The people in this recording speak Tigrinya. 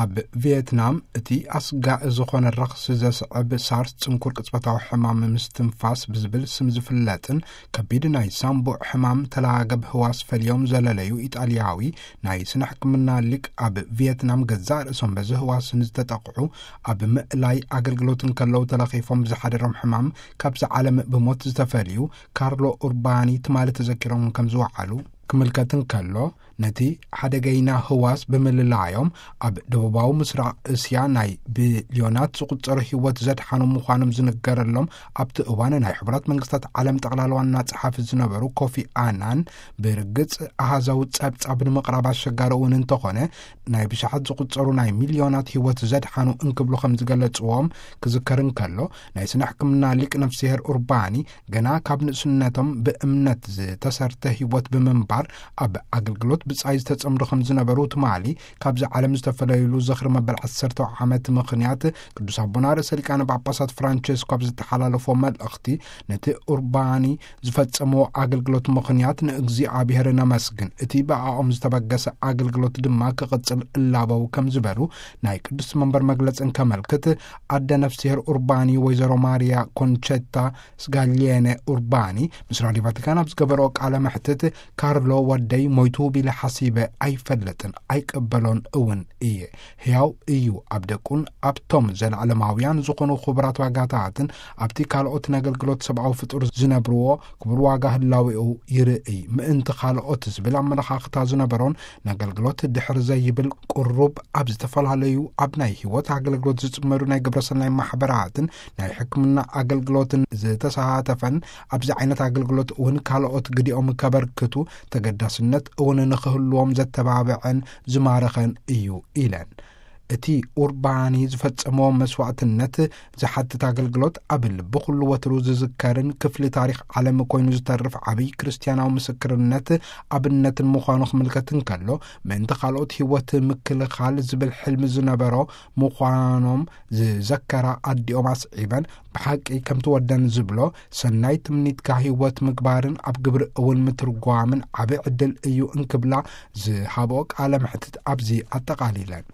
ኣብ ቪየትናም እቲ ኣስጋኢ ዝኾነ ረኽሲ ዘስዕብ ሳርስ፣ ጽንኩር ቅጽበታዊ ሕማም ምስትንፋስ ብዝብል ስም ዝፍለጥን ከቢድ ናይ ሳምቡእ ሕማም ተላገብ ህዋስ ፈልዮም ዘለለዩ ኢጣልያዊ ናይ ስነ ሕክምና ሊቅ፣ ኣብ ቪየትናም ገዛእ ርእሶም በዚ ህዋስ ንዝተጠቕዑ ኣብ ምእላይ ኣገልግሎት እንከለዉ ተለኺፎም ብዝሓደሮም ሕማም ካብዚ ዓለም ብሞት ዝተፈልዩ ካርሎ ኡርባኒ ትማሊ ተዘኪሮም ከም ዝወዓሉ ክምልከት እንከሎ፣ ነቲ ሓደገይና ህዋስ ብምልላዮም ኣብ ደቡባዊ ምስራቕ እስያ ናይ ቢልዮናት ዝቑጸሩ ህይወት ዘድሓኑ ምዃኖም ዝንገረሎም፣ ኣብቲ እዋን ናይ ሕቡራት መንግስታት ዓለም ጠቕላላ ዋና ጸሓፊ ዝነበሩ ኮፊ ኣናን፣ ብርግጽ ኣሃዛዊ ጸብጻብ ንምቕራብ ኣሸጋሪ እውን እንተኾነ፣ ናይ ብሽሓት ዝቑጸሩ ናይ ሚልዮናት ህይወት ዘድሓኑ እንክብሉ ከም ዝገለጽዎም ክዝከር እንከሎ፣ ናይ ስነ ሕክምና ሊቅ ነፍስሄር ኡርባኒ፣ ገና ካብ ንእስነቶም ብእምነት ዝተሰርተ ህይወት ብምንባር ኣብ ኣገልግሎት ብጻይ ዝተጸምዱ ከም ዝነበሩ ትማሊ ካብዚ ዓለም ዝተፈለዩሉ ዝኽሪ መበል ዓሰርተ ዓመት ምኽንያት ቅዱስ ኣቦና ርእሰ ሊቃነ ጳጳሳት ፍራንቸስኮ ኣብ ዝተሓላለፎ መልእኽቲ፣ ነቲ ኡርባኒ ዝፈጸምዎ ኣገልግሎት ምኽንያት ንእግዚኣብሔር ነመስግን፣ እቲ ብኣኦም ዝተበገሰ ኣገልግሎት ድማ ክቕጽል እላበው ከም ዝበሉ ናይ ቅዱስ መንበር መግለጽ እንከመልክት፣ ኣደ ነፍስሄር ኡርባኒ ወይዘሮ ማርያ ኮንቸታ ስጋሊየነ ኡርባኒ ምስ ራድዮ ቫቲካን ኣብ ዝገበረኦ ቃለ መሕትት፣ ካርሎ ወደይ ሞይቱ ቢለ ሓሲበ ኣይፈልጥን፣ ኣይቅበሎን እውን እየ። ሕያው እዩ። ኣብ ደቁን ኣብቶም ዘለዓለማውያን ዝኾኑ ክቡራት ዋጋታትን ኣብቲ ካልኦት ነገልግሎት ሰብኣዊ ፍጡር ዝነብርዎ ክቡር ዋጋ ህላዌኡ ይርእይ። ምእንቲ ካልኦት ዝብል ኣመለኻኽታ ዝነበሮን፣ ነገልግሎት ድሕር ዘይብል ቁሩብ ኣብ ዝተፈላለዩ ኣብ ናይ ህይወት ኣገልግሎት ዝጽመዱ ናይ ግብረሰናይ ማሕበራትን ናይ ሕክምና ኣገልግሎትን ዝተሳተፈን፣ ኣብዚ ዓይነት ኣገልግሎት እውን ካልኦት ግዲኦም ከበርክቱ ተገዳስነት እውን ንኽህልዎም ዘተባብዐን ዝማረኸን እዩ ኢለን። እቲ ኡርባኒ ዝፈጸሞ መስዋዕትነት ዝሓትት ኣገልግሎት ኣብ ልቢ ኩሉ ወትሩ ዝዝከርን ክፍሊ ታሪኽ ዓለም ኮይኑ ዝተርፍ ዓብይ ክርስትያናዊ ምስክርነት ኣብነትን ምዃኑ ክምልከት እንከሎ፣ ምእንቲ ካልኦት ህይወት ምክልኻል ዝብል ሕልሚ ዝነበሮ ምዃኖም ዝዘከራ ኣዲኦም ኣስዒበን፣ ብሓቂ ከምቲ ወደን ዝብሎ፣ ሰናይ ትምኒትካ ህይወት ምግባርን ኣብ ግብሪ እውን ምትርጓምን ዓቢ ዕድል እዩ እንክብላ ዝሃብኦ ቃለ መሕትት ኣብዚ ኣጠቓሊለን።